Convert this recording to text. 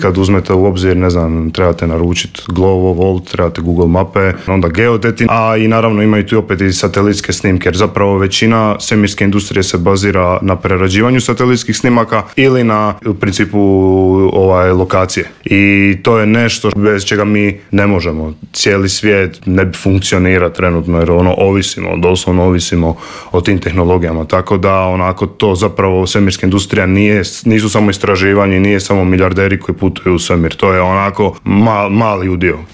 Kad uzmete u obzir, ne znam, trebate naručiti Glovo, Volt, trebate Google mape, onda geodeti, a i naravno imaju tu opet i satelitske snimke, jer zapravo većina svemirske industrije se bazira na prerađivanju satelitskih snimaka ili na u principu lokacije. I to je nešto bez čega mi ne možemo. Cijeli svijet ne bi funkcionira trenutno, jer doslovno ovisimo o tim tehnologijama. Tako da onako to zapravo svemirska industrija nisu samo istraživanje, nije samo milijarderi koji putuju u svemir. To je onako mali udio.